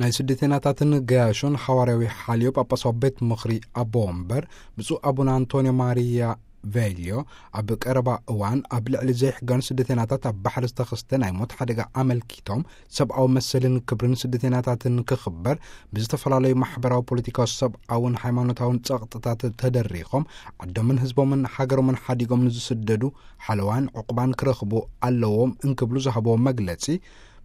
ናይ ስደተናታትን ገያሾን ሓዋርያዊ ሓልዮ ጳጳሳዊ ቤት ምኽሪ ኣቦ ወንበር ብፁዕ ኣቡነ ኣንቶንዮ ማርያ ቬልዮ፣ ኣብ ቀረባ እዋን ኣብ ልዕሊ ዘይሕጋን ስደተናታት ኣብ ባሕሪ ዝተኸስተ ናይ ሞት ሓደጋ ኣመልኪቶም፣ ሰብኣዊ መሰልን ክብርን ስደተናታትን ክኽበር፣ ብዝተፈላለዩ ማሕበራዊ፣ ፖለቲካዊ፣ ሰብኣውን ሃይማኖታውን ጸቕጥታት ተደሪኾም ዓዶምን ህዝቦምን ሃገሮምን ሓዲጎም ንዝስደዱ ሓለዋን ዕቑባን ክረኽቡ ኣለዎም እንክብሉ ዝሃብዎ መግለጺ፣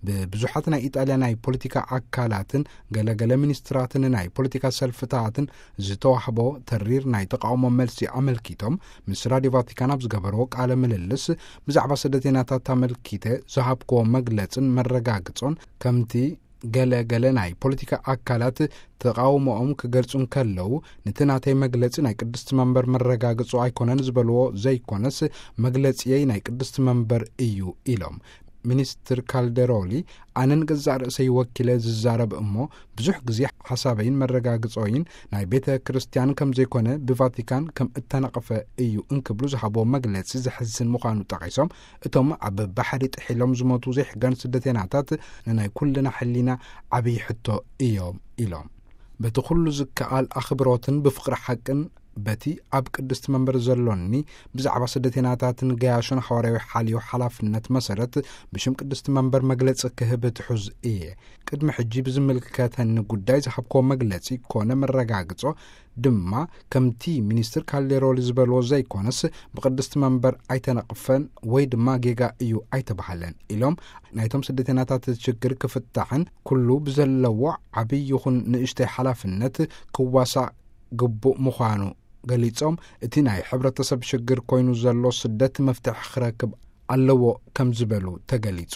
ብብዙሓት ናይ ኢጣልያ ናይ ፖለቲካ ኣካላትን ገለገለ ሚኒስትራትን ናይ ፖለቲካ ሰልፍታትን ዝተዋህቦ ተሪር ናይ ተቃውሞ መልሲ ኣመልኪቶም፣ ምስ ራድዮ ቫቲካን ኣብ ዝገበርዎ ቃለ ምልልስ፣ ብዛዕባ ስደተኛታት ኣመልኪተ ዝሃብክዎ መግለጽን መረጋግጾን፣ ከምቲ ገለ ገለ ናይ ፖለቲካ ኣካላት ተቃውሞኦም ክገልጹ እንከለዉ፣ ነቲ ናተይ መግለጺ ናይ ቅድስቲ መንበር መረጋግጾ ኣይኮነን ዝበልዎ ዘይኮነስ፣ መግለጺየይ ናይ ቅድስቲ መንበር እዩ ኢሎም። ሚኒስትር ካልደሮሊ፣ ኣነ ንገዛእ ርእሰይ ወኪለ ዝዛረብ እሞ፣ ብዙሕ ግዜ ሓሳበይን መረጋግጾይን ናይ ቤተ ክርስቲያን ከም ዘይኮነ ብቫቲካን ከም እተነቕፈ እዩ እንክብሉ ዝሃብዎ መግለጺ ዘሕዝን ምዃኑ ጠቒሶም፣ እቶም ኣብ ባሕሪ ጥሒሎም ዝሞቱ ዘይሕጋን ስደተናታት ንናይ ኩልና ሕሊና ዓብዪ ሕቶ እዮም ኢሎም። በቲ ኩሉ ዝከኣል ኣኽብሮትን ብፍቕሪ ሓቅን በቲ ኣብ ቅድስቲ መንበር ዘሎኒ ብዛዕባ ስደተናታትን ገያሾን ሓዋርያዊ ሓልዮ ሓላፍነት መሰረት ብሽም ቅድስቲ መንበር መግለጺ ክህብ ትሑዝ እየ። ቅድሚ ሕጂ ብዝምልከተኒ ጉዳይ ዝሃብክዎ መግለጺ ኮነ መረጋግጾ ድማ ከምቲ ሚኒስትር ካልዴሮሊ ዝበልዎ ዘይኮነስ ብቅድስቲ መንበር ኣይተነቕፈን ወይ ድማ ጌጋ እዩ ኣይተባህለን ኢሎም ናይቶም ስደተናታት ችግር ክፍታሕን ኩሉ ብዘለዎ ዓብዪ ይኹን ንእሽተይ ሓላፍነት ክዋሳእ ግቡእ ምዃኑ ገሊጾም እቲ ናይ ሕብረተሰብ ሽግር ኮይኑ ዘሎ ስደት መፍትሒ ክረክብ ኣለዎ ከም ዝበሉ ተገሊጹ።